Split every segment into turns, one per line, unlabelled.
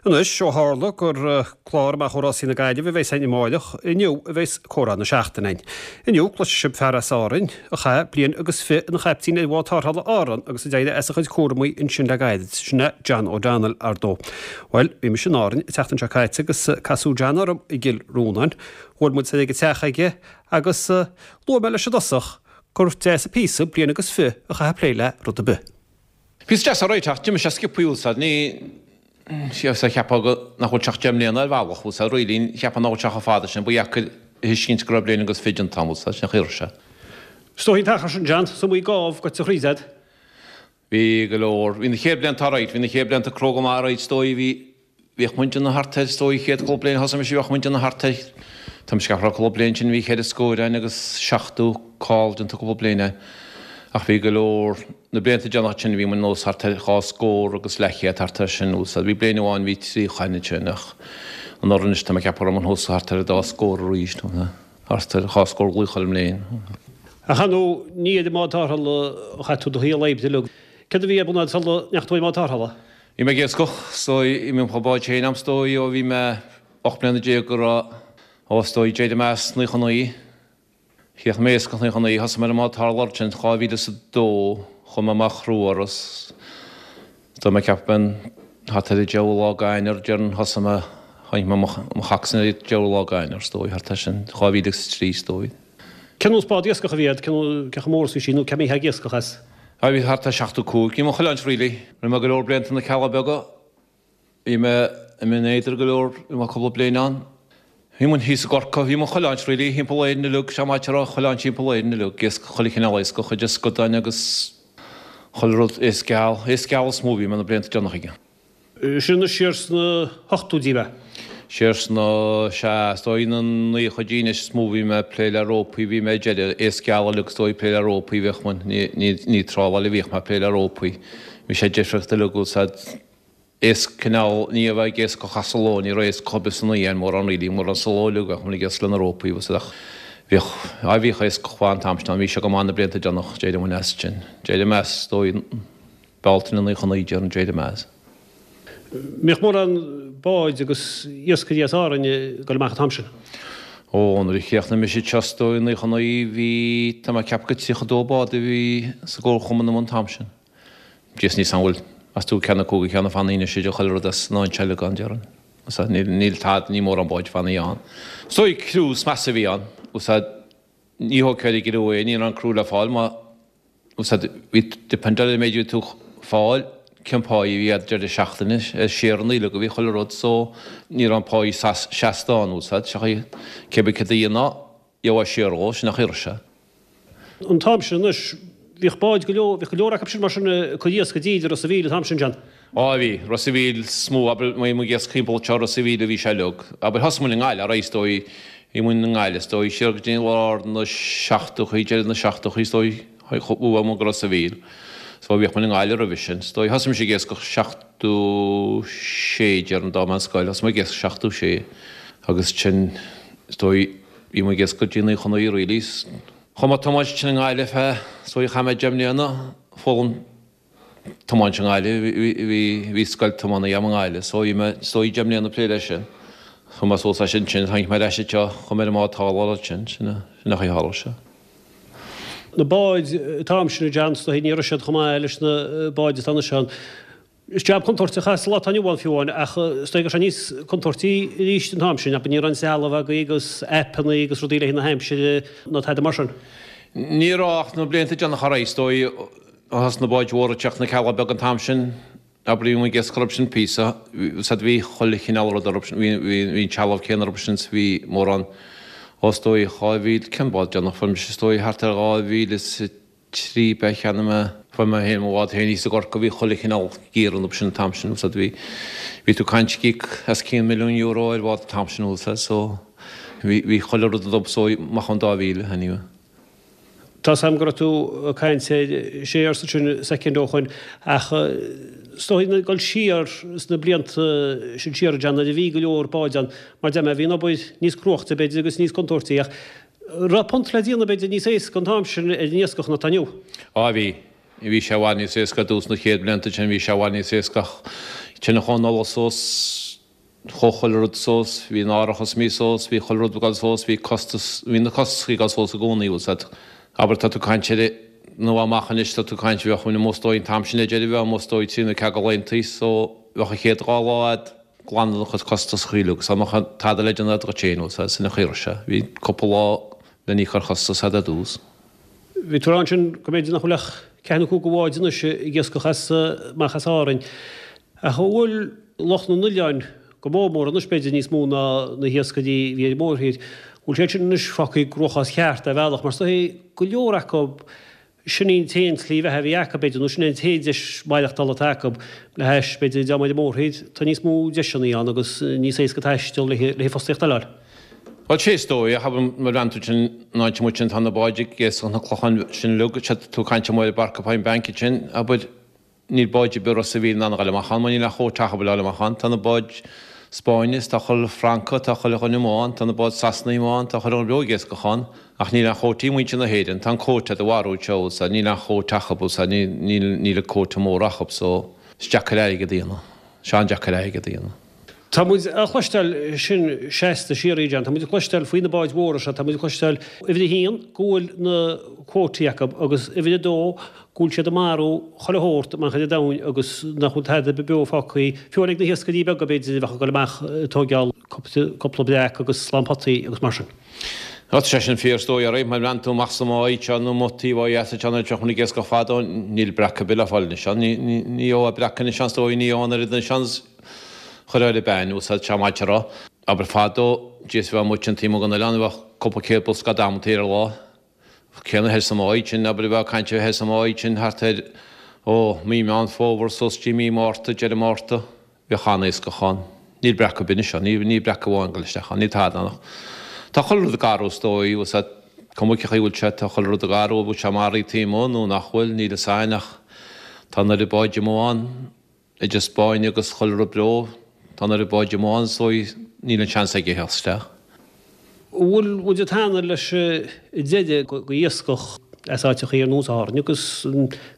Anois, ó tharla gur clár amach ó Rásaí na Gaillimhe a bheas againn amáireach, inniu a bheas Comhrá na Seachtaine againn. Inniu, cloisfidh sibh fear as Árainn a chaith bliain agus fi ina chaiptín ar bhád tarrthála Árann agus a d'éirigh as a chuid cúramaí ansin le gairid. Sin é John O'Donnell, ar ndóigh. Bhuel, bhí mise in Árainn an tseachtain seo caite agus casadh John orm i gCill Rónáin. Bhuail muid soir ag an teach aige agus luaigh mé leis i dtosach gur deas an píosa bliain agus fi a chaitheamh ag plé le rud ar bith.
Píosa deas alright ach d'imigh sé sciobthaí bhfuil 's a'd, ní, sea cheapfá go, nach bhfuil sé ach 10 mbliana ar bhealach, bhfuil 's a'd, really, cheapfá nach bhfuil sé chomh fada sin, ba dheacair a thuiscint go raibh bliain agus fi déanta a'm, bhfuil 's a'd, sin an chaoi a raibh sé.
Is dóigh an t-achar sin, John, is iomaí gábh goite thríd a'd.
Bhí go leor, bhí na chéad blianta alright, bhí na chéad blianta cróga maith alright, is dóigh, bhí, Bhíodh muid ag déanamh thart ar, is dóigh, chéad chúpla bliain a thosaigh mise, bheadh muid ag déanamh thart ar, tá mise ag ceapadh cúpla bliain sin bhí cheithre scór againn agus 70 call déanta cúpla bliain againn. Ach bhí go leor, na blianta deireanacha sin bhí muid nós thart ar dhá scór agus leathchéad thart ar sin, bhfuil 's a'd. Bhí bliain amháin bhí 30 againn ansin ach anuraidh anois tá mé ag ceapadh go raibh muid thuas thart ar an dá scór arís, thart ar dhá scór glaoch chuile mbliain.
Ach ar ndóigh, ní ar an mbád tarrthála a chaith tú do shaol oibre uilig. Céard a bhí ar bun a'd sula ndeachaigh tú ar an mbád tarrthála?
Bhí mé ag iascach is dóigh, bhí mé mo bhád féin a'm is dóigh ó bhí mé 18 mbliana go raibh, ó is dóigh d'éirigh mé as 99, chríochnaigh mé iascach 99, thosaigh mé ar an mbád tarrthála ansin 2002, chuaigh mé amach through Áras, tá mé ag ceapadh b'in thart ar an deichiú lá d'Eanáir déarfainn thosaigh mé, tháinig mé mo chac san ar an deichiú lá d'Eanáir is dóigh, thart ar sin, 2003 is dóigh.
Cén nós bád iascach a bhí a'd, cé chomh mór is bhí sí nó cé mbítheá ag iascach as?
Ah bhí thart ar 75. Bhí mé chuile áit really. Rinne mé go leor blianta na Cealla Beaga. Bhí mé i mBinn Éadair go leor, bhí mé cúpla bliain ann. Bhí muid thíos i gCorcaigh, bhí muid chuile áit really, thimpeall Éirinn uilig, sé m'áit a raibh chuile áit thimpeall Éirinn uilig, iascach, chuile chineál iascach, idir scadáin agus chuile rud, iasc geal, iasc geal is mó a bhí mé na blianta deireanacha aige.
Sin anois siar sna hochtóidí ab ea?
Siar sna, sea, is dóigh na naochaidí anois is mó bhí mé ag plé le rópaí, bhí mé ag deireadh, iasc geal uilig is dóigh ag plé le rópaí bhíodh muid, ní, ní, ní tráláil a bhíodh mé ag plé le rópaí. Bhí sé difriúil uilig bhfuil 's a'd, iasc cineál, ní a bheith ag iascach as sa ló, ní raibh iascach ar bith san oíche mórán really, mórán sa ló uilig bheadh muid ag iasc le na rópaí bhfuil 's a'd ach bhíodh, á bhíodh iascach mhaith an t-am sin ann, bhí sé go maith na blianta deireanach, d'éirigh muid as sin, d'éirigh mé as is dóigh, Bealtaine 99 déarfainn d'éirigh mé as.
Mbíodh mórán báid agus iascairí as Árainn ag dul amach an t-am sin?
Ó, nuair a chríochnaigh mise anseo is dóigh i 99 bhí, tá mé ag ceapadh gur 32 bád a bhí sa gcomharchumann amuigh an t-am sin. Jeez níl 's a'm an bhfuil, meas tú ceann acu go ceann a fanaí anois idir chuile rud as an áit eile gan déarfainn. Sea, níl, níl tada, níl mórán báid fanaí ann. Is dóigh criú is measa a bhí ann. Sea, ní thógfá ar an gcriú é, ní raibh an criú le fáil má, Úsáid, bhí, depend ar an méid a bhí tú fáil, cén pá a bhí a'd deireadh seachtaine, ar shareanna uilig a bhí chuile rud so ní raibh an pá seasta ann, úsáid, seachaí cé bith céard a dhéanfá, gheofá share dhó, sin an chaoi a raibh sé.
An t-am sin anois, bhíodh báid go leor, bhíodh go leor acu sin mar sin ag cur iasc i dtír i Ros a' Mhíl an t-am sin, John.
Á bhí, Ros a' Mhíl is mó, abair, bhí muid ag iascach thimpeall anseo, Ros a' Mhíl a bhí sé uilig. Abair, thosaigh muid i nGaillimh, alright, is dóigh, bhí muid i nGaillimh, is dóigh, siar go dtí lár na seachtóchaí, deireadh na seachtóchaí, is dóigh, chuaigh muid go Ros a' Mhíl. So bhíodh muid i nGaillimh roimhe sin. Is dóigh, thosaigh mise ag iascach 76, déarfainn, d'fhág mé an scoil, thosaigh mé ag iascach 76 agus sin, is dóigh, bhí muid ag iascach go dtí 99 really. Chuaigh mé ag tiomáint ansin i nGaillimh feadh, is dóigh, chaith mé 10 mbliana, foghlaim tiomáint i nGaillimh, bhí scoil tiomána agam i nGaillimh so bhí mé is dóigh 10 mbliana ag plé leis sin. Chuaigh mé suas as sin ansin, tháinig mé ar ais anseo, chuaigh mé ar an mbád tarrthála ansin, sin an chaoi a tharla sé.
Na báid an t-am sin a John, is dóigh ní raibh siad chomh maith leis na báid atá anois ann. Is jab contúirteach é sa lá atá inniu ann fiú amháin ach is dóigh go raibh sé níos contúirtí arís an t-am sin, abair ní raibh an trealamh agaibh agus aipeanna agus rudaí le haghaidh na haimsire ná tada mar sin.
Ní raibh ach na blianta déanacha ar aghaidh is dóigh, Thosaigh na báid mhóra ag teacht na Cealla Beaga an t-am sin, abair bhí muid ag iascach orthu sin píosa, 's bhí chuile chineál rud orthu sin, bhí bhí an trealamh céanna orthu sin 's bhí mórán, ó is dóigh 2000, cén bád deireanach fuair mise is dóigh thart ar 2003 b'ea cheannaigh mé, fuair mé féin mo bhád féin thíos i gCorcaigh, bhí chuile chineál gear orthu sin an t-am sin, 's bhí, bhí tú ag caint ag íoc os cionn milliún euro ar bhád an t-am sin, 's so bhí, bhí chuile rud orthu so amach ón 2000 anyway.
Tá's a'm go raibh tú ag caint ar shares ansin soicind ó shoin ach is dóigh ag dul siar sna blianta sin siar a John nuair a bhí go leor báid ann mar deir mé bhí an obair níos cruachta b'fhéidir agus níos contúirtí ach raibh punt le déanamh b'fhéidir níos éasca an t-am sin ar an iascach ná atá inniu.
Á bhí. Bhí sé i bhfad níos éasca ar dtús na chéad blianta sin bhí sé i bhfad níos éasca ach ansin chuaigh an ola suas. Chuaigh chuile rud suas, bhí an árachas imithe suas, bhí chuile rud ag dul suas, bhí costas, bhí na costais ag dul suas i gcónaí, bhfuil 's a'd. Abair tá tú ag caint ar nó amach anois tá tú ag caint bheadh muid amuigh is dóigh an t-am sin le deireadh bheadh amuigh is dóigh trí nó ceathair de laethantaí so bheadh an chéad dhá lá a'd glanadh do chuid costas a chaoiliú agus dá mbeadh tada le déanamh a'd dhuit féin, bhfuil 's a'd, sin an chaoi a raibh sé. Bhí cúpla lá le n-íoc ar chostas a'd ar dtús.
Bhí tú ag rá ansin go mb'fhéidir nach bhfuil ach ceathair nó cúig de bháid anois ag iascach as amach as Árainn. Ach an bhfuil lucht na n-oileáin go mór mór anois, b'fhéidir níos mó ná na hiascairí a bhí ar an mórthír, bhfuil siad sin anois fágtha i gcruachás ceart ar bhealach mar is dóigh go leor acu sin í an t-aon tslí bheatha a bhí acu b'fhéidir nó sin é an t-aon deis maireachtála atá acu le hais b'fhéidir an dream ar an mórthír tá níos mó deiseanna ann agus níos éasca taisteal le le fostaíocht a fháil.
Bhuel sé is dóigh ach abair má bhreathnaíonn tú ansin an áit amuigh sin tá na báid ag iascach na clocháin sin uilig, tá tú ag caint amuigh ar Barca Point Bank ansin abair Níl báid ar bith Ros a' Mhíl in ann a ghoil amach ann mar níl aon chóta acu le ghoil amach ann. Tá na báid Spáinne is tá chuile Francach, tá chuile dhuine amuigh ann, tá na báid Sasanaigh amuigh ann, tá chuile dhuine beo ag iascach ann ach níl aon chótaí ag muintir na hÉireann. Tá an cóta a'd i bhfarradh anseo, bhfuil 's a'd, níl aon chóta acu, bhfuil 's a'd, níl, níl an cóta mór acu so is deacair airgead a dhéanamh. Is an-deacair airgead a dhéanamh.
Tá muid a chloisteáil sin seasta síoraí, John. Tá muid ag cloisteáil faoi na báid mhóra seo. Tá muid ag cloisteáil, uimhir a haon, go bhfuil na cuótaí acu agus uimhir a dó, go bhfuil siad ag marú chuile shórt i mbanc an domhain agus nach bhfuil tada ar bith beo fágtha, fiú ag na hiascairí beaga, b'fhéidir, a bheadh ag dul amach ag tóigeáil cúpla breac agus slám potaí agus mar sin.
Tá sé sin fíor is dóigh, alright, má bhreathnaíonn tú amach sa mbáigh seo nó amuigh taobh ó dheas anseo an áit a mbíodh muid ag iascach fadó, níl breac ar bith le fáil anois ann. Ní gheobhthá breac anois ann is dóigh, ní gheobhthá an oiread anois ann. Chuir ar a bean, úsáid sé maide a rá. Abair fadó, Dia 's bheadh muid an taobh amuigh den oileán, bheadh cúpla céad bosca amantaí ar an lá. Céanna thoir sa mbáigh sin, abair bheadh caint thoir sa mbáigh sin thart ar, ó, mí Meán Fómhair suas dtí mí Márta, deireadh Márta, bheadh an-iascach ann. Níl breac ar bith anois ann, níl breac amháin ag dul isteach ann, níl tada ann ach tá chuile rud ag athrú is dóigh, bhfuil 's a'd, cuma cé chaoi a bhfuil sé, tá chuile rud ag athrú, an bhfuil sé maraithe taobh amuigh nó nach bhfuil, níl fhios a'inn ach tá an oiread báid amuigh ann. Idir Spáinn agus chuile rud beo, tá an oiread báid amuigh ann so níl an seans aige theacht isteach.
An bhfuil muid ag teannadh leis an deireadh go iascach as áiteachaí ar nós Árainn agus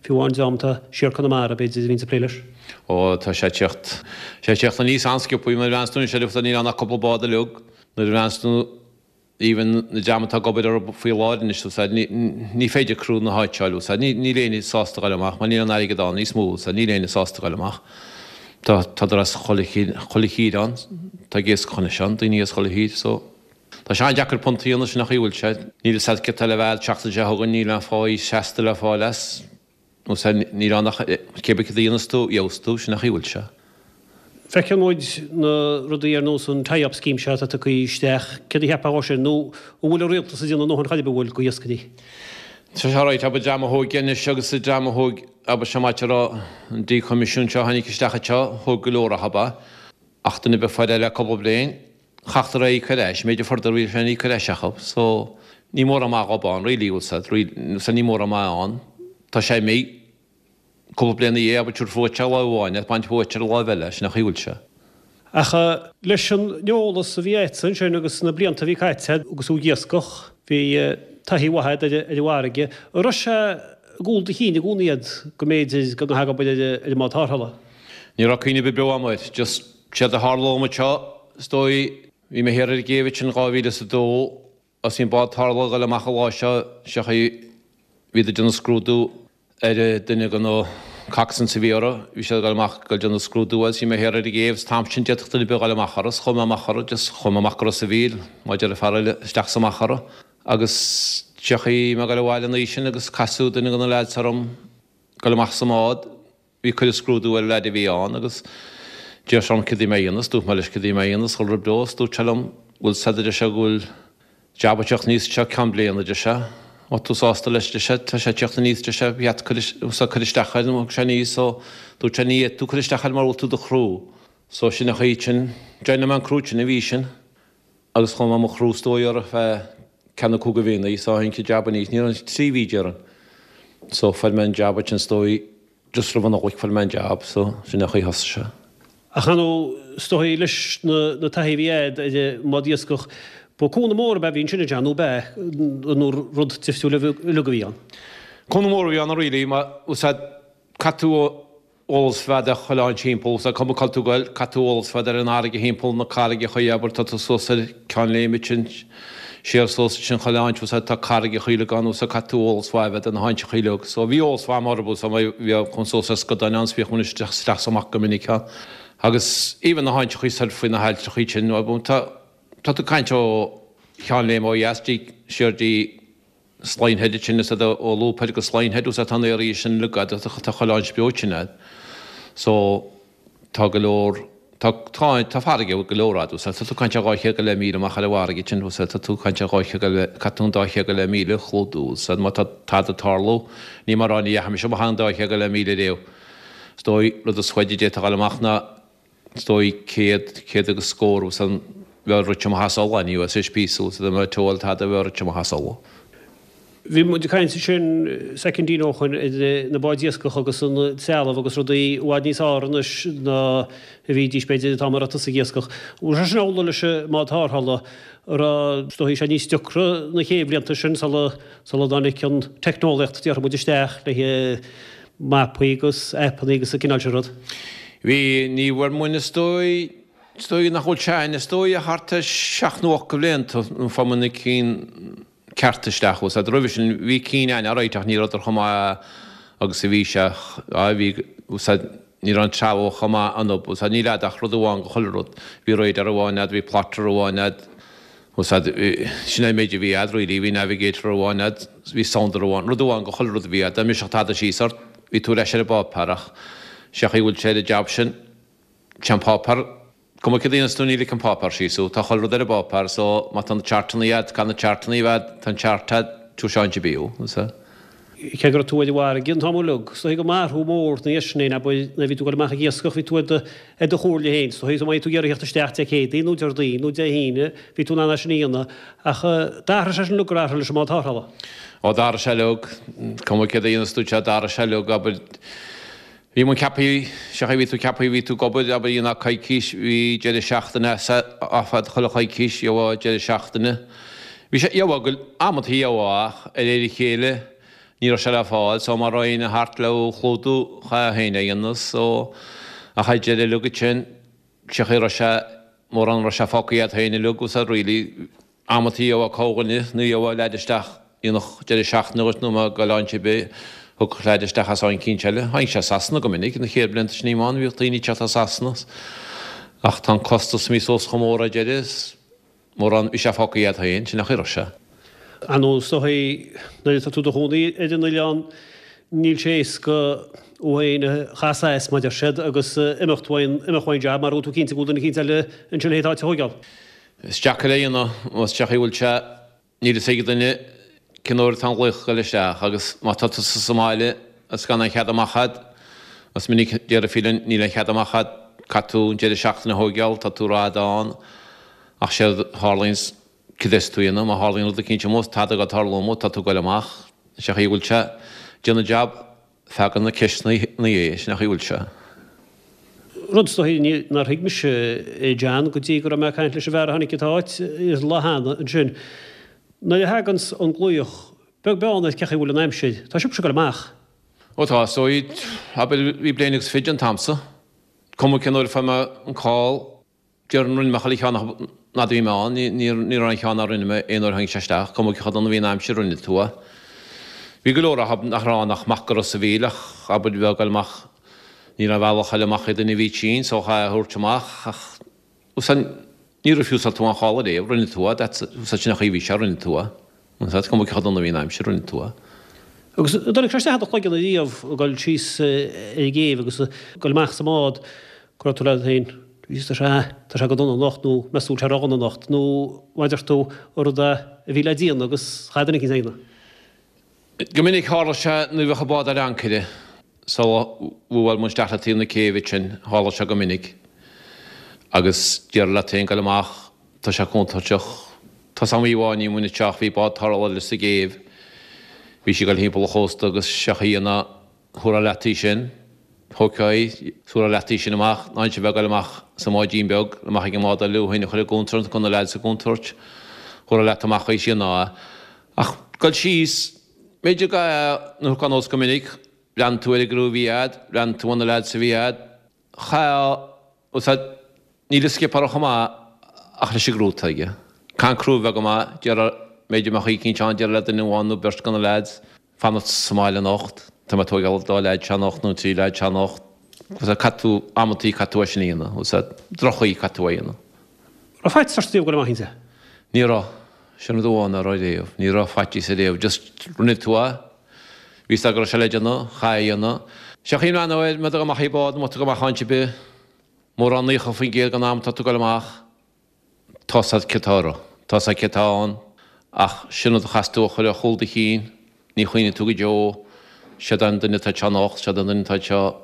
fiú amháin dream atá siar Conamara b'fhéidir a bhíonns ag plé leis?
Ó tá sé ag teacht, sé ag teacht aníos an-sciobthaí mar a bhreathnaíos tú anois ar níl ann ach cúpla bád uilig nuair a bhreathnaíos tú Even na dream atá ag obair orthu faoi láthair anois, bhfuil 's a'd, ní féidir criú na háite a fháil, bhfuil 's a'd, níl éinne sásta dhul amach mar níl an airgead ann níos mó, bhfuil 's a'd, níl éinne sásta dhul amach. Tá, tádar as chuile, chuile thír ann, tá ag iascach anois ann, daoine as chuile thír, so tá sé an-deacair punt a dhéanamh, sin an chaoi a bhfuil sé. Níl fhios a'd céard tá le bheith an tseachtain seo chugainn, níl aon pháí seasta le fáil as. Nó sea, níl ann ach cé bith cad a dhéanas tú, gheobhas tú, sin an chaoi a bhfuil sé.
Feiceann muid na rudaí ar nós an tie-up scheme seo atá tugtha isteach, céard a cheapfá dhó sin, nó an bhfuil an rialtas ag déanamh a ndóthain chor ar bith, an bhfuil, go iascairí?
Tá sé ráite, abair, dream a thóg anois agus an dream a thóg, abair, seo maith a rá, an díchoimisiún seo a tháinig isteach anseo, thóg go leor acu é, ach duine ar bith a fuair é le cúpla bliain, Chaithfeadar é a íoc ar ais, méid a fuaireadar bhí sé le íoc ar ais acu, so ní mórán maith dhób ann really, bhfuil 's a'd, really, so ní mórán maith ann. Tá sé imithe cúpla bliain ina dhiaidh, abair tabharfaí uait ar láimh amháin é, baint uait ar an láimh eile, sin an chaoi a bhfuil sé.
Ach leis an eolas a bhí a'dsa ansin agus na blianta a bhí caite a'd agus tú ag iascach, bhí taithí mhaith a'd ar an bhfarraige. An raibh sé i gcúl do chinn i gcónaí a'd go mb'fhéidir go ngabhfá ag obair ar an mbád tarrthála?
Ní raibh cuimhne ar bith beo a'm air, just séard a tharla dhom anseo, is dóigh, bhí mé thiar ar an gcéibh ansin 2002 agus bhí an bád tarrthála ag dul amach an lá seo, seo chaoi, bhíodar ag déanamh scrúdú ar duine de na coxswains a bhí orthu, bhí siad ag dul amach ag dul déanamh scrúdú agus bhí mé thiar ar an gcéibh, is an t-am sin d'fhéadfadh duine ar bith a dhul amach orthu, is chuaigh mé amach orthu, just chuaigh mé amach go Ros a' Mhíl, mar a deir an fear eile, isteach is amach orthu. Agus seo chaoi, bhí mé ag dul abhaile an oíche sin agus casadh duine de na leaids orm ag dul amach sa mbád, Bhí cuireadh scrúdú ar an leaid a bhí ann agus d'iarr sé orm céard a bhí mé a dhéanamh is dúirt mé leis céard a bhí mé a dhéanamh is chuile rud beo is dúirt sé liom bhfuil 's a'd a deir sé go bhfuil jab ag teacht aníos anseo ceann bliana a deir sé má tá tú sásta leis a deir sé tá sé ag teacht aníos a deir sé ba cheart cur cur isteach air nó thug sé aníos so dúirt sé ní fhéadfaidh tú cur isteach air mura bhfuil tú i do chriú so sin an chaoi sin join mé an criú sin a bhí sin agus chuaigh mé i mo chriú is dóigh ar feadh ceathair nó cúig de mhíonna so tháinig an jab aníos ní raibh trí mhí déarfainn so fuair mé an jab ansin is dóigh just roimh an Nollaig fuair mé an jab so sin an chaoi a thosaigh sé.
Ach ar ndóigh is dóigh leis na taithí a bhí a'd ar an mbád iascach ba cúnamh mór ab ea a bhí ansin a John nó ab ea nó rud difriúil uilig a bhí ann?
Cúnamh mór a bhí ann really mar úsáid caith tú ó. eolas fada ar chuile áit thimpeall, so cuma cá bhfuil tú ag goil, caithfidh tú eolas fada ar an fharraige thimpeall na carraigeacha, abair, tá tú suas ar Ceann Léime ansin, siar suas ansin chuile áit, so tá carraigeacha uilig ann, so caithfidh tú eolas mhaith a bheith ar na háiteacha uilig. So bhí eolas mhaith agam orthu, so bhíodh chun suas ar scadáin ann, so bhíodh muid isteach is amach go minic ann. Agus even na háiteacha soir faoi na hailltreacha sin, tá, tá tú ag caint ó Cheann Léime ó dheas dtí, siar dtí Slyne Head ansin is ó Loop Head go Slyne Head tá an area sin uilig a'd tá chuile áit beo sin a'd so tá go leor tá tá tá farraige go leor a'd tá tú ag caint ar 200 go leith míle amach ar an bhfarraige sin tá tú ag caint ar 200 go leith caithfidh tú an 200 go leith míle a chlúdú so má tá tada ag tarlú ní mar ní dheachaigh mise amach an 200 go leith míle riamh is dóigh rud is faide a d'fhéadfadh a dhul amach ná Is dóigh 100, 100 agus scór agus an bheadh rite amach as Uladh, ní bheadh sé píosa agus dá mbeadh teoil tada bheadh rite amach as Uladh.
Bhí muid ag caint ansin soicindín ó shoin ar na báid iascach agus an trealamh agus rudaí i bhfad níos fearr anois ná a bhídís b'fhéidir an t-am a raibh tusa ag iascach. Bhfuil sé sin amhlaidh leis an mbád tarrthála a raibh is dóigh sé níos deacra na chéad bhlianta sin sula sula dtáinig an teicneolaíocht déarfaidh muid isteach le mapaí agus aipeanna agus an cineál sin rud.
Bhí, ní bhfuair muinn is dóigh, is dóigh nach bhfuil sé a'inn, is dóigh ach thart ar sheacht nó ocht de bhlianta nó fuair muinn na cinn cearta isteach bhfuil 's a'd. Roimhe sin bhí cinn a'inn alright ach ní rabhadar chomh maith agus a bhí sé, á bhí, bhfuil 's a'd, ní raibh an trealamh chomh maith ionub, bhfuil 's a'd, níl a'd ach rud amháin go chuile rud. Bhí radar amháin a'd, bhí plotter amháin a'd, Bhfuil 's a'd, sin é an méid a bhí a'd really, bhí navigator amháin a'd, bhí sounder amháin, rud amháin go chuile rud a bhí a'd, dá mbrisfeadh tada síos ort, bhí tú ar ais ar an bpáipéar ach sé chaoi a bhfuil sé ar an jab sin, sé an páipéar, cuma céard a dhéanas tú ní ligfidh an páipéar síos thú, tá chuile rud ar an bpáipéar so má tá na chartanna a'd, caithfidh na chartanna a bheith a'd, tá an chart a'd, tabharfaidh sé áit ar bith thú, bhfuil 's a'd.
Cé go raibh tú ar an bhfarraige an t-am uilig, is dóigh go mb'athrú mór ina dhiaidh sin é, abair, nuair a bhí tú ag dul amach ag iascach, bhí tú ar do, ar do chomhairle féin, is dóigh, so má bhí tú ag iarraidh theacht isteach Dé Céadaoin nó Déardaoin nó Dé hAoine, bhí tú in ann é sin a dhéanamh. Ach d'athraigh sé sin uilig gur athraigh leis an mbád tarrthála.
Ó d'athraigh sé uilig, cuma céard a dhéanas tú, sea, d'athraigh sé uilig, abair, Bhí muid ceaptha, sé chaoi bhí tú ceaptha, bhí tú ag obair, abair dhéanfá coicís, bhí deireadh seachtaine off a'd chuile choicís, gheobhá deireadh seachtaine. Bhí sé, gheobhá go, amantaí gheobhá ach de réir a chéile ní raibh sé le fáil so má raibh éinne thart le thú a chlúdú chaithfeá féin é a dhéanamh so ach ar deireadh uilig ansin, sé chaoi raibh sé, mórán raibh sé fágtha agat féin uilig agus really Amantaí gheobhá corrdhuine nó gheobhá leaid isteach dhéanfadh deireadh seachtaine dhuit nó má ghoil áit ar bith thiocfadh leaid isteach as áit eicínt eile. Tháinig sé as Sasana go minic, na chéad blianta sin bhí ann bhíodh daoine ag teacht as Sasana ach tá an costas imithe suas chomh mór ar deireadh is mórán bhí sé fágtha agat féin, sin an chaoi a raibh sé.
Ar ndóigh is dóigh nuair atá tú i do chónaí ar an oileán níl sé éasca thú féin a chasadh as mar a deir siad agus imeacht uaidh imeacht uaidh an jab mar go bhfuil tú cinnte go bhfuil duine eicínt eile ansin le d'áit a thóigeáil.
Is deacair é a dhéanamh, más sé chaoi a bhfuil sé, níl fhios ag duine cén uair atá an ghlaoch ag goil isteach agus má tá tusa sa mbaile agus gan aon chead amach a'd, is minic déarfaí linn níl aon chead amach a'd, caithfidh tú an deireadh seachtaine a thóigeáil, tá tú ró-fhada ann ach séard a tharlaíonns, cad is tú a dhéanamh má tharlaíonn rud eicínt amuigh, tada ag tarlú amuigh, tá tú ag goil amach, sé chaoi a bhfuil sé, déan an jab. Fágann na ceisteanna é, sin an chaoi a bhfuil sé.
Rud is dóigh nár thuig mise é John go dtí go raibh mé ag caint leis an bhfear a tháinig an t-áit an lá cheana ansin. Nuair a thaganns an glaoch, beag beann ar cé chaoi a bhfuil an aimsir, tá sibhse ag dul amach.
Ó tá, is dóigh, abair, bhí bliain agus fiche an t-am so. Cuma cén uair a fuair mé an call, Déarfainn rinne mé chuile cheann acu an fhad a bhí mé ann, ní raibh aon cheann nár rinne mé aon uair a tháinig sé isteach, cuma cé chomh dona a bhí an aimsir, rinne tú é. Bhí go leor acu nach raibh ann ach mac go Ros a' Mhíl ach abair bheadh ag goil amach, ní raibh aon bhealach eile amach ag duine a bhí tinn so chaithfeá é a thabhairt amach ach úsáid, ní refusal tú aon chall ariamh, rinne tú é, that's, úsáid sin an chaoi a bhí sé, rinne tú é. Is cuma cé chomh dona a bhí an aimsir, rinne tú é.
Agus an dtáinig sé isteach i do chloigeann ariamh ag dul síos ar an gcéibh agus ag dul amach sa mbád go raibh tú leat féin, Jesus tá sé, tá sé go dona anocht nó meas tú an bhfuil sé ródhona anocht nó mar a deir tú an rud a bhí le déanamh agus chaith duine eicínt a dhéanamh.
Go minic tharla sé nuair a bheadh an bád ar ancaire sula bhuail muid isteach le taobh na céibhe ansin, tharla sé go minic agus déarfá leat féin goil amach, tá sé contúirteach. Tá 's a'm oíche amháin bhí muinn isteach, bhí bád tarrthála eile sa gcéibh, bhí sí ag goil thimpeall an chósta agus sé chaoi ná thabharfá leat í sin, thógfá í, thabharfá leat í sin amach, ná inse bheith ag goil amach sa mbáidín beag, amach ag an mbád eile thú féin a chur i gcontúirt, go na leaids i gcontúirt, thabharfá leat amach í sin ná. Ach goil síos, b'fhéidir go, nuair a thiocfá anuas go minic. Bhreathnaigh tú ar an gcriú a bhí a'd, bhreathnaigh tú ar na leaids a bhí a'd, chaithfeá, bhfuil 's a'd, níl an skipper chomh maith ach leis an gcriú atá aige. Caithfidh an criú a bheith go maith, déarfá, b'fhéidir go mbeadh eicínt ann, déarfá le duine amháin nó beirt de na leaids, fanacht sa mbaile anocht, tá mé ag tóigeáil an dá leaid seo anocht nó an trí leaid seo anocht, bhfuil 's a'd, caithfidh tú, amantaí caithfidh tú é sin a dhéanamh, bhfuil 's a'd, droch-chaoi caithfidh tú é a dhéanamh.
Raibh faitíos ort riamh ag dul amach inti?
Ní raibh. Sin rud amháin nach raibh riamh. Ní raibh faitíos ariamh. Just rinne tú é. Bhí 's agat go raibh sé le déanamh, chaithfeá é a dhéanamh. Sé an chaoi a mbreathnófá air, má tá tú amach i bád, má tá tú amach áit ar bith, mórán 90% den am atá tú ag dul amach, tá 's agat céard atá orthu, tá 's agat céard atá ann, ach sin rud a chaithfeas tú a chur ar chúl do chinn, ní chuimhneoidh tú go deo, séard é an duine atá anseo anocht, séard é an duine atá anseo,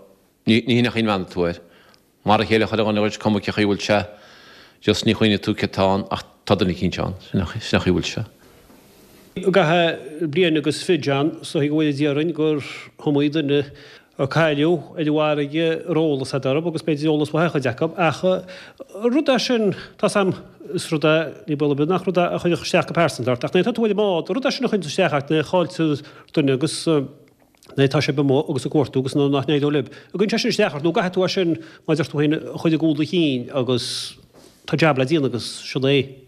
ní hin an chaoi a mbreathnóidh tú air. Mar a chéile chuile dhuine dhuit, cuma cé chaoi a bhfuil sé, just ní chuimhneoidh tú céard atá ann ach tá duine eicínt ann, sin an chaoi a bhfuil sé.
I gcaitheamh bliain agus fiche, John, is dóigh go bhfuil déarfainn gur iomaí duine a cailleadh ar an bhfarraige a raibh eolas agat orthu agus b'fhéidir eolas mhaith ar chuid acu ach rud é sin, tá's a'm, is rud é, ní baol ar bith nach rud é a chuirfeadh isteach go pearsanta ort ach nuair atá tú ar an mbád, rud é sin a chuireann isteach ort nuair a chailltear duine agus nuair atá sibh amuigh agus ag cuartú agus nuair nach n-éireoidh libh. An gcuireann sé sin isteach ort nó an gcaithfidh tú é sin, mar a deir tú féin, a chur i gcúl do chinn agus tá jab le déanamh agus sin é.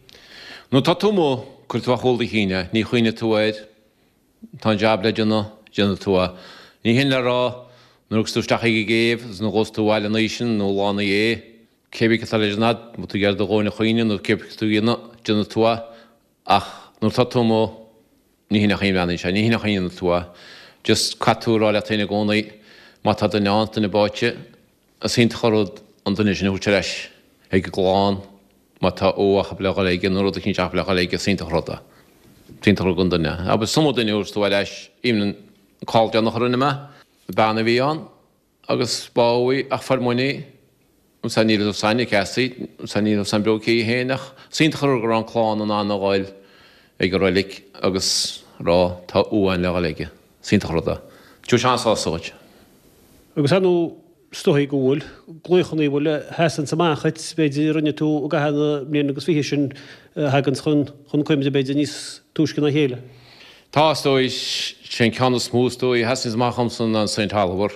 Nuair atá tú amuigh, cuirfidh tú ar chúl do chinn é. Ní chuimhneoidh tú air. Tá an jab le déanamh, déanfaidh tú é. Ní hin le rá, nuair a thiocfas tú isteach ag an gcéibh agus nuair a ghabhfas tú abhaile an oíche sin nó lá ina dhiaidh, cé bith cad tá le déanamh agat, má tá tú ag iarraidh do dhóthain a chaoineadh nó cé bith cad tá tú a dhéanamh, déanfaidh tú é. Ach nuair atá tú amuigh, ní hin an chaoi a mbreathnaíonn sé, ní hin an chaoi a ndéanann tú é. Just caithfidh tú a rá leat féin i gcónaí, má tá duine ann, duine báite, is iontach an rud an duine sin a thabhairt ar ais ag an gclann, má tá uaigh acu le dhul aige nó rud eicínt acu le dhul aige, is iontach an rud é. Is iontach an rud don duine. Agus is iomaí duine a thabhairt tú ar ais, even an call deireanach a rinne mé, bean a bhí ann, Agus bádh í ach fuair muinn í. Sea, ní raibh san ag Cassie, sea, ní raibh san beo aici féin ach is iontach an rud go raibh an clann in ann a ghoil ag an roilig agus rá tá uaigh againn le dhul aige. Is iontach an rud é. Tabharfaidh sé an-sásamh dhuit.
Agus ar ndóigh, is dóigh go bhfuil glaochanna a bhfuil a sheasanns amach dhuit, b'fhéidir, a rinne tú i gcaitheamh na mbliana agus fiche sin a thaganns chun cuimhne, b'fhéidir, níos túisce ná a chéile.
Tá, is dóigh. Sé an ceann is mó, is dóigh, a sheasanns amach dhomsa ná an Saint Oliver.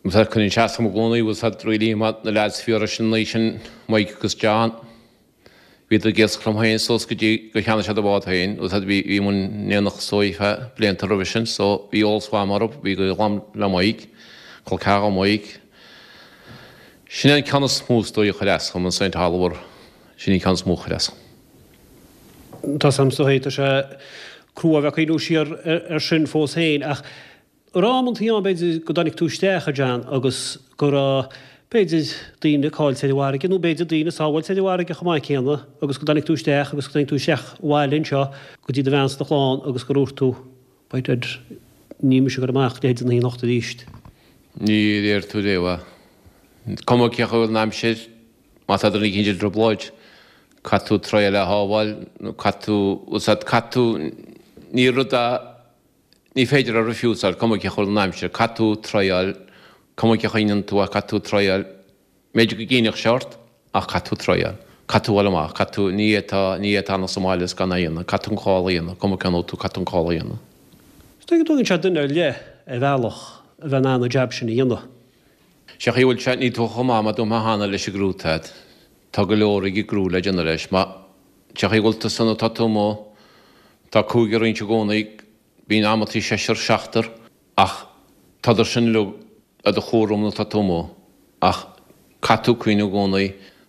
Cuireann sé as dom i gcónaí, bhfuil 's a'd, really, mar na leaids a bhí sin an oíche sin, Mike agus John, bhíodar ag iascach liom féin suas go dtí gur cheannaigh siad a bhád féin, bhfuil 's a'd, bhí, bhí muid in éineacht is dóigh feadh blianta roimhe sin, so bhí eolas mhaith a'm orthu, bhí gaol a'm le Mike, col ceathar do Mike. Sin é an ceann is mó, is dóigh, a chuir as dhom, an Saint Oliver, sin an ceann is mó a chuir as dhom.
Tá 's a'm, is dóigh, tá sé crua a bheith ag cuimhniú siar air sin fós féin, ach an raibh amantaí ann, b'fhéidir, go dtáinig tú isteach, a John, agus go raibh, b'fhéidir, daoine caillte ar an bhfarraige, nó b'fhéidir daoine sábháilte ar an bhfarraige chomh maith céanna, agus go dtáinig tú isteach agus go dtáinig tú isteach abhaile anseo go dtí do bhean 's do chlann agus gur dhúirt tú, by dad, níl mise ag dul amach leithéid na anocht
arís. Ní déarfaidh tú riamh é. Cuma cé chaoi a bhfuil an aimsir, Má tá duine eicínt i dtrioblóid, caithfidh tú triáil é a shábháil, nó caithfidh tú, bhfuil 's a'd, caithfidh tú, ní rud é, ní féidir a refuseáil, cuma cé chaoi a bhfuil an aimsir, caithfidh tú triáil, cuma cé chaoi a ndéanann tú é, caithfidh tú triáil, b'fhéidir go gcinnfeadh sé ort, ach caithfidh tú triáil, caithfidh tú dhul amach, caithfidh tú, ní fhéadfá, ní fhéadfá fanacht sa mbaile is gan é a dhéanamh, caithfidh tú an call a dhéanamh, cuma cén tú, caithfidh tú an call a dhéanamh.
Is dóigh go dtógann sé duine ar leith ar bhealach a bheith in ann an jab sin a dhéanamh.
Sé chaoi a bhfuil sé, níl tú chomh maith mar dúirt mé cheana leis an gcriú atá a'd. Tá go leor ag an gcriú le déanamh leis. Má, sé chaoi a bhfuil tusa nuair atá tú amuigh, tá cúigear againn i gcónaí, bíonn amantaí seisear, seachtar, ach tádar sin uilig ar do chúram nuair atá tú amuigh. Ach caithfidh tú cuimhniú i gcónaí,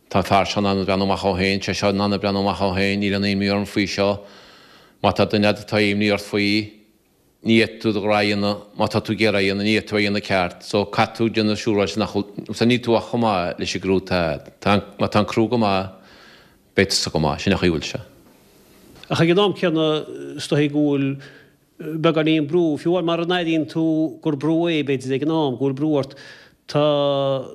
tá an fear seo in ann breathnú amach dhó féin, sé seo in ann breathnú amach dhó féin, níl aon imní orm faoi seo. Má tá duine a'd atá imní ort faoi, ní fhéadfaidh tú do ghnó a dhéanamh, má tá tú ag iarraidh a dhéanamh, ní fhéadfaidh tú é a dhéanamh ceart, so caithfidh tú déanamh siúráilte nach bhfuil, so níl tú ach chomh maith leis an gcriú atá a'd. Tá an, má tá an criú go maith, beidh tusa go maith, sin an chaoi a bhfuil sé.
Ach ag an am céanna, is dóigh go bhfuil beagáinín brú, fiú amháin mara n-airíonn tú gur brú é, b'fhéidir, ag an am, go bhfuil brú ort, tá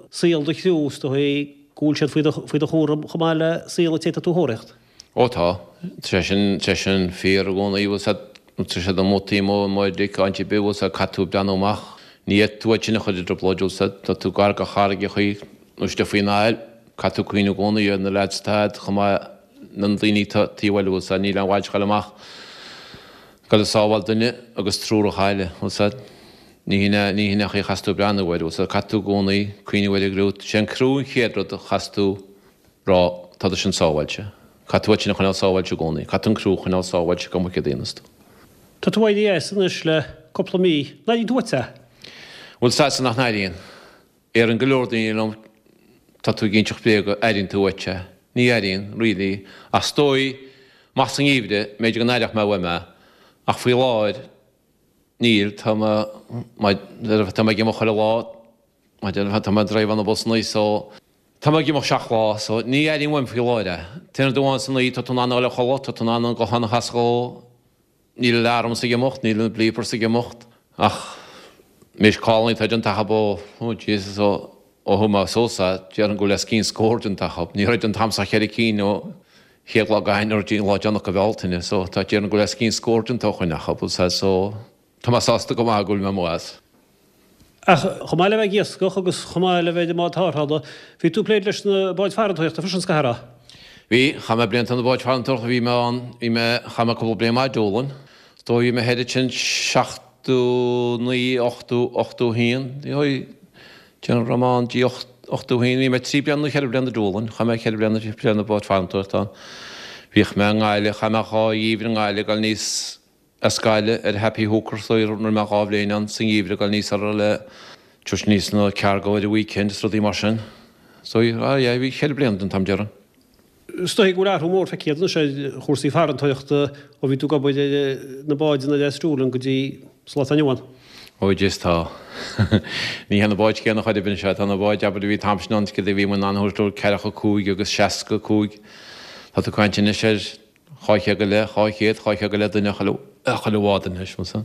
saol do chriú, is dóigh go bhfuil siad faoi do, faoi do chúram chomh maith le saol an té atá tú a thóraíocht.
Ó tá. Tá sé sin, tá sé sin fíor i gcónaí, bhfuil 's a'd, tá siad amuigh taobh amuigh i mbáid, áit ar bith, bhfuil 's a'd, caithfidh tú breathnú amach. Ní fhéadfaidh tú iad sin a chur i dtrioblóid, bhfuil 's a'd, tá tú gar do charraigeachaí nó istigh faoin aill, caithfidh tú cuimhniú i gcónaí ar na leaids atá a'd chomh maith le na daoine atá taobh eile, bhfuil 's a'd, níl aon mhaith dul amach, dul ag sábháil duine agus triúr a chailleadh, bhfuil 's a'd. Ní hin é, ní hin é an chaoi a chaithfeas tú breathnú air, bhfuil 's a'd, caithfidh tú i gcónaí cuimhniú ar an gcriú, sé an criú an chéad rud a chaithfeas tú rá, tá siad sin sábháilte. Caithfidh tú iad sin a choinneáil sábháilte i gcónaí, caithfidh tú an criú a choinneáil sábháilte cuma céard a dhéanas tú.
Tá tú éirithe as anois le cúpla mí. An airíonn tú uait é?
Bhfuil 's a'dsa nach n-airíonn. Déarann go leor daoine liom tá tú ag inseacht bréaga, airíonn tú uait é. Ní airíonn, really. Ach is dóigh, amach sa ngeimhreadh, b'fhéidir go n-aireodh mé uaim é. Ach faoi láthair, níl, tá mé, tá mé ag imeacht chuile lá, tá mé ag driveáil na busannaí so, tá mé ag imeacht seacht lá, so ní airím uaim faoi láthair é. T-aon rud amháin san oíche, tá tú in ann a dhul a chodladh, tá tú in ann an guthán a chasadh dhó, Níl alarms ag imeacht, níl na bleepers ag imeacht, ach missed callannaí atá déanta acub ó, oh Jesus, ó ó thug mé suas é, déarfainn go bhfuil os cionn scór déanta acub. Ní raibh an t-am so ach cheithre cinn ó chéad lá d'Eanáir go dtí an lá deireanach de Bhealtaine, so tá déarfainn go bhfuil os cionn scór déanta ó shoin acub, so tá mé sásta go maith go bhfuil mé amuigh as.
Ach chomh maith le bheith ag iascach agus chomh maith le bheith ar an mbád tarrthála, bhí tú ag plé leis na báid farantóireachta freisin, is caithfidh a rá.
Bhí. Chaith mé blianta ar na báid farantóireachta. Bhí mé ann, bhí mé, chaith mé cúpla bliain maith i Doolin. Is dóigh bhí mé thoir ansin 79, 80, 81. Déarfainn go raibh mé ann dtí 81. Bhí mé trí bliana nó cheithre bliana i Doolin. Chaith mé ceithre bliana ar na báid farantóireachta ann. Bhíodh mé i nGaillimh, chaith mé dhá gheimhreadh i nGaillimh ag dul aníos as Gaillimh ar Happy Hooker so rinne mé dhá bhliain ann sa ngeimhreadh ag dul aníos orthu le tabhairt aníos na cargo ar an weekend is rudaí mar sin. So ah yeah bhí cheithre bliana den t-am déarfainn.
Is dóigh go bhfuil athrú mór feicthe agat anois ar chúrsaí farantóireachta ó bhí tú ag obair ar na báid ann as Doolin go dtí sa lá atá inniu ann.
Ó jeez tá. Ní hé na báid céanna chor ar bith anois, tá na báid abair a bhí an t-am sin ann céard a bhí muid in ann a thabhairt leo ceathracha cúig agus seasca cúig. Tá tú ag caint anois ar 200 go leith, 200, 200 go leith duine chuile, chuile bhád anois, muise.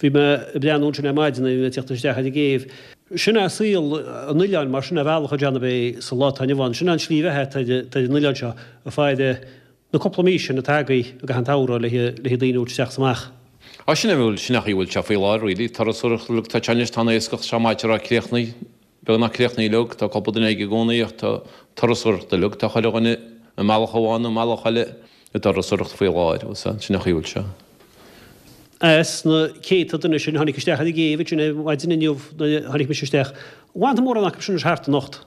Bhí mé ag breathnú ansin ar maidin nuair a bhí mé ag tíocht isteach ar an gcéibh. Sin é saol an oileáin mar sin é ar bhealach a John ab é sa lá atá inniu ann. Sin é an tslí bheatha atá ar an oileán seo ag faire na cúpla mí sin atá agaibh i gcaitheamh an tsamhraidh le le daoine a thabhairt isteach is amach.
Á sin é bhuel, sin é an chaoi a bhfuil sé faoi láthair really. Turasóireacht uilig tá sé anois, tá an iascach seo maith a rá críochnaithe. Beagnach críochnaithe uilig, tá cúpla duine ag i gcónaí ach tá turasóireacht uilig, tá chuile dhuine i mbealach amháin nó i mbealach eile i dturasóireacht faoi láthair, bhfuil 's a'd, sin an chaoi a bhfuil sé.
As na céadta duine sin a tháinig isteach ar an gcéibh ansin ar maidin inniu nuair a tháinig mise isteach, an bhfanfaidh mórán acu sin anois thart anocht?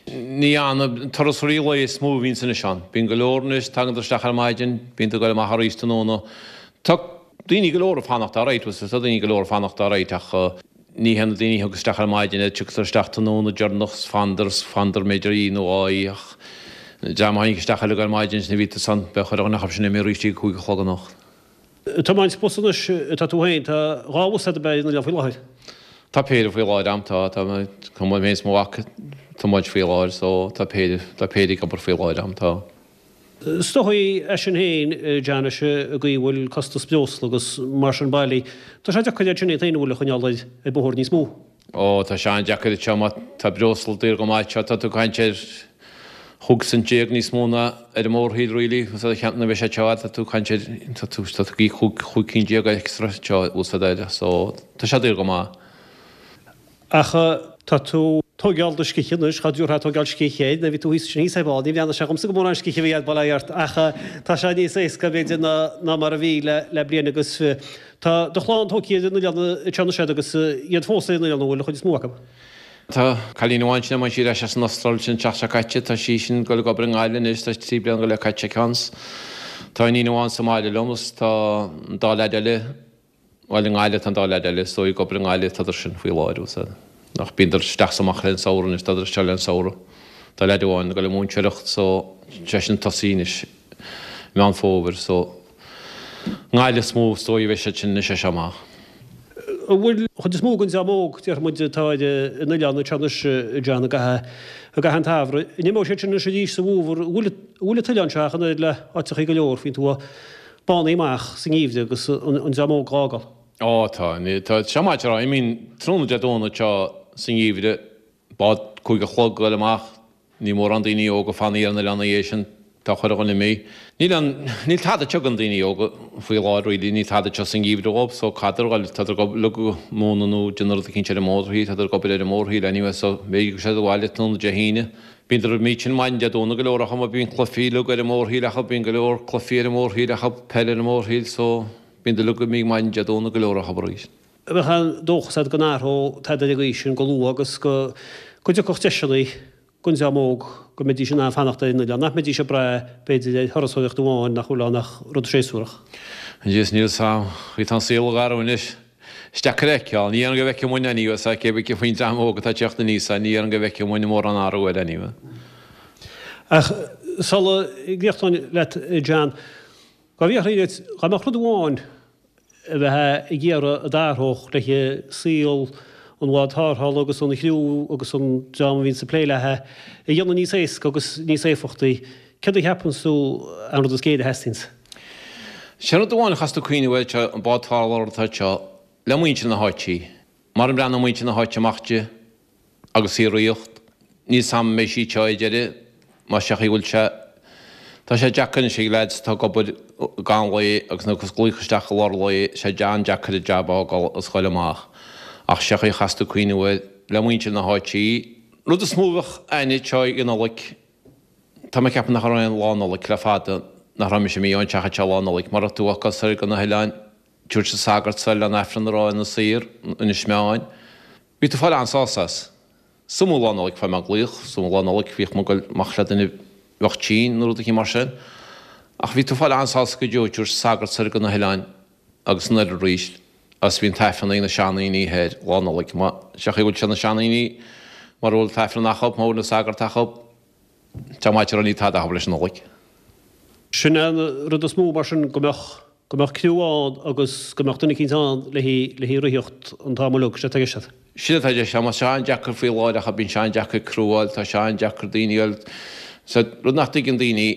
Ní fhanann, turasóirí lae is mó a bhíonns anois ann. Bíonn go leor anois, tagann isteach ar maidin, bíonn ag dul amach arís tráthnóna. Tá daoine go leor ag fanacht alright, bhfuil 's a'd, tá daoine go leor ag fanacht alright ach, Ní hé na daoine a thiocfas isteach ar maidin iad, tiocfadar isteach tráthnóna deireanach 's fanadar 's fanadar b'fhéidir oíche nó dhá oíche ach an dream a tháinig isteach uilig ar maidin sin a bhí ansan, beidh chuile dhuine acu sin imithe arís ag a cúig a chlog anocht.
Ag tiomáint bus anois atá tú féin, tá dhá bhus agat ab ea ar an oileán faoi láthair?
Tá péire faoi láthair a'm, tá, tá mé, tá mé féin 's mo mhac ag tiomáint faoi láthair so tá péire, tá péire ag obair faoi láthair a'm, tá.
Is dóigh é sin féin, John, is an gcaoi a bhfuil costas breosla agus mar sin bailí, tá sé deacair iad sin iad féin a bhfuil a choinneáil ar bóthar níos mó.
Ó, tá sé an-deacair anseo má tá breosla daor go maith anseo, tá tú ag caint ar chúig cent déag níos mó ná ar an mórthír really, nuair a bheidh sé anseo tá tú ag caint ar, tá tú, tá tú ag íoc chúig cinn déag extra anseo úsáid air, so tá sé daor go maith.
Ach tá tú tóigeáil do scíthe anois, cha dtabharfá tóigeáil scíthe air, nuair a bhí tú thíos ansin thíos ar ball, ní bhreathnaigh sé dhomsa go mórán scíthe a bhí agat, bail ó Dhia ort, ach tá sé níos éasca b'fhéidir ná ná mar a bhí le le bliain agus tá do chlann tógtha ar an oileán anseo anois agus iad fós ar an oileán an bhfuil, an chuid is mó acu.
Tá cailín amháin sin tháinig sí ar ais as an Astráil sin an tseachtain seo caite, tá sí sin ag dul ag obair i nGaillimh anois, tá trí bliana go leith caite aici ann. Tá iníon amháin sa mbaile liom agus tá an dá leaid eile, Bhuel, i nGaillimh tá an dá leaid eile, is dóigh, ag obair i nGaillimh tádar sin faoi láthair, bhfuil 's a'd. Ach bíondar isteach 's amach le an samhradh anois, tádar anseo le an samhradh. Tá leaid amháin ag dul ag múinteoireacht so seisean ag tosaí anois i Meán Fómhair so i nGaillimh is mó is dóigh a bheidh siad sin anois as seo amach.
An bhfuil an chuid is mó den dream óg, déarfaidh muid, atá ar an oileán anseo anois, John, i gcaitheamh i gcaitheamh an tsamhraidh, an imeoidh siad sin anois arís sa bhfómhar? An bhfuil an bhfuil an t-oileán seo ach an oiread le áiteachaí go leor faoin tuath? Bánaithe amach sa ngeimhreadh agus an dream óg á fhágáil.
Ó tá, tá seo maith a rá, imíonn tráthnóna Dé Domhnaigh seo sa ngeimhreadh, bád cúig a chlog ag dul amach, níl mórán daoine óga fanaithe ar an oileán ina dhiaidh sin, tá chuile dhuine imithe. Níl an, níl tada anseo don daoine óga faoi láthair really, níl tada anseo sa ngeimhreadh dhóibh so caithfeadar a dhul, tádar ag uilig ag múineadh nó déanamh rud eicínt ar an mórthír, tádar ag obair ar an mórthír anyway so b'fhéidir go siad abhaile tráthnóna Dé hAoine. Bíondar imithe sin maidin Dé Domhnaigh go leor acu mar bíonn cluichí uilig ar an mórthír acu, bíonn go leor cluichí ar an mórthír acu, peil ar an mórthír so bíondar uilig imithe maidin Dé Domhnaigh go leor acu arís.
Bheadh an dóchas agat go n-athródh tada ar an gcaoi sin go luath agus go dtiocfadh deiseanna don dream óg go mbeidís in ann fanacht ar an oileán, nach mbeidís ag brath, b'fhéidir, ar thurasóireacht amháin nach bhfuil ann ach rud séasúrach.
Anois níl 's a'm, chaoi tá an saol ag athrú anois. Is deacair a fheiceáil. Ní dhéarfainn go bhfeicfidh muidne anyway, sea, cé bith faoin dream óg atá ag teacht aníos, ní dhéarfainn go bhfeicfidh muidne mórán athrú air anyway.
Ach sula gcríochnóinn leat, John, dá bhfiafraínn díot, dá mbeadh rud amháin a bheifeá ag iarraidh a d'athródh le saol an bhád tarrthála agus an chriú agus an dream a bhíonns ag plé léi a dhéanamh níos éasca agus níos éifeachtaí, céard a cheapanns tú an rud is géire a theastaíonns?
Sin rud amháin a chaithfeas tú cuimhneamh air seo, an bád tarrthála atá anseo, le muintir na háite. Mara mbreathnóidh muintir na háite amach di agus í ag ritheacht, níl 's a'm an mbeidh sí anseo ar deireadh, mar sé chaoi bhfuil sé, tá sé deacair anois ag leaids atá ag obair i gcaitheamh an lae agus nó ag glaoch isteach i lár an lae, sé an-deacair an jab a fhágáil agus ghoil amach. Ach sé chaoi a chaithfeas tú cuimhneamh air, le muintir na háite, rud is mó a bheadh a'inne anseo ag an Nollaig, Tá mé ag ceapadh nach raibh aon Lá Nollag le fada nach raibh mise imithe ón teach anseo Lá Nollag mar raibh tú ag dul soir go na hoileáin, tabhairt an sagart soir le an Aifreann a rá ar na saoir, Inis Meáin. Bhí tú ag fáil an-sásamh as. Is iomaí Lá Nollag fuair mé glaoch, is iomaí Lá Nollag bhíodh mé ag goil amach le duine a bheadh tinn nó rud eicínt mar sin. Ach bhí tú ag fáil an-sásamh go deo ag tabhairt an sagart soir go na hoileáin agus anoir arís agus bhí an tAifreann ag na seandaoine thoir Lá Nollag. Má, sé chaoi a bhfuil sé na seandaoine mara bhfuil an tAifreann acu, má bhfuil an sagart acu, Tá maith ar níl tada acu leis an Nollaig.
Sin é an rud is mó mar sin, go mbeadh, go mbeadh criú ann agus go mbeadh duine eicínt ann le hí ritheacht an t-am uilig, sin atá i gceist agat.
Sin atá i gceist agam. Tá sé an-deacair faoi láthair ach bíonn sé an-deacair criú a fháil, tá sé an-deacair daoine a fháil. Sea, rud nach dtuigeann daoine,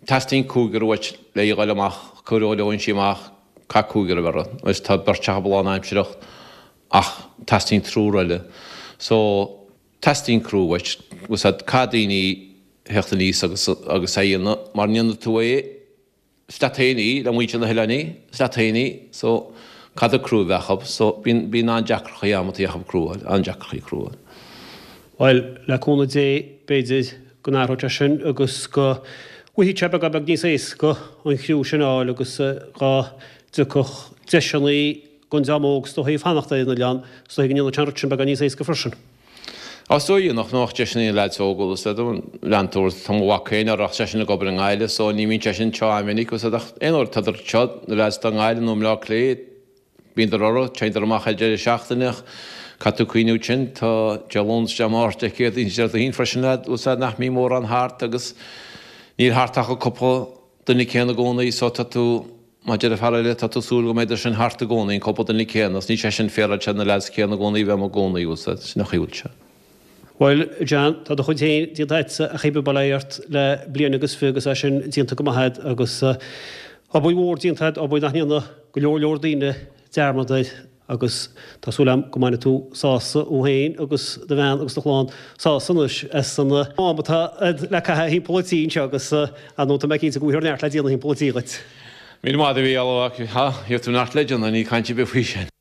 teastaíonn cúigear uait le í a ghoil amach, cuir ó Fhoinsí amach, caithfidh cúigear a bheith orthu. Anois tá beirt acu lánaimsireach ach teastaíonn triúr eile. So. Teastaíonn criú uait, bhfuil 's a'd, caithfidh daoine theacht aníos agus agus é a dhéanamh, mara ndéanfaidh tú é, is leat féin í, le muintir na hoileáin í, is leat féin í, so caithfidh criú a bheith acu, so bíonn, bíonn an-deacrachtaí amantaí acu criú a fháil, an-deacrachtaí criú a fháil.
Bhuel, le cúnamh Dé, b'fhéidir go n-athróidh sé sin agus go bhfaighidh sé beagán beag níos éasca an chriú sin a fháil agus go dtiocfadh deiseanna don dream óg is dóichí fanacht ar an oileán, is dóichí go ndéanfadh sé an rud sin beagán níos éasca freisin.
Á, is dóigh nach mbeadh deiseanna ag na leaids óga, bhfuil 's a'd, lean tú, tá mo mhac féin ach seisean ag obair i nGaillimh so ní bhíonn seisean anseo an-mhinic, bhfuil 's a'd, ach aon uair atádar anseo, na leaids atá i nGaillimh nó i mBleá Cliath, bíondar orthu, téandar amach ar deireadh seachtaine ach caithfidh tú cuimhniú ansin, tá Dé Luain is Dé Máirt, Dé Céadaoin is Déardaoin freisin leaid, bhfuil 's a'd, nach mbíonn mórán thart agus níl thart ach an cúpla duine céanna i gcónaí so tá tú, Mar deir an fear eile, tá tú ag súil go mbeidh sin thart i gcónaí, an cúpla duine céanna, is níl sé sin féaráilte na leaids céanna i gcónaí a bheith amuigh i gcónaí, bhfuil 's a'd, sin an chaoi a bhfuil sé.
Bhuel, John, tá do chuid féin déanta agatsa ach bail ó Dhia ort le bliain agus fi agus é sin déanta go maith agat agus obair mhór déanta agat, obair nach ndéanadh go leor leor daoine dearmad air. Agus tá súil agam go mbainfidh tú sásamh thú féin agus do bhean agus do chlann sásamh anois as an am atá a'd le caitheamh thimpeall an tí anseo agus ar ndóigh tá mé cinnte go bhfaighfear neart le déanamh thimpeall an tí dhuit.
Míle maith agat a Mhícheál, ha, gheobhaidh tú neart le déanamh, níl caint ar bith faoi sin.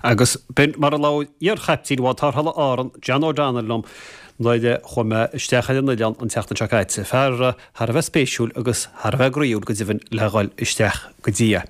Agus b'in mar a labhair iar-chaiptín Bhád Tarrthála Árann, John O'Donnell liom nuair a chuaigh mé isteach ar an oileán an tseachtain seo caite. Fear thar a bheith spéisiúil agus thar a bheith groíúil go deimhin le dhul isteach go dtí é.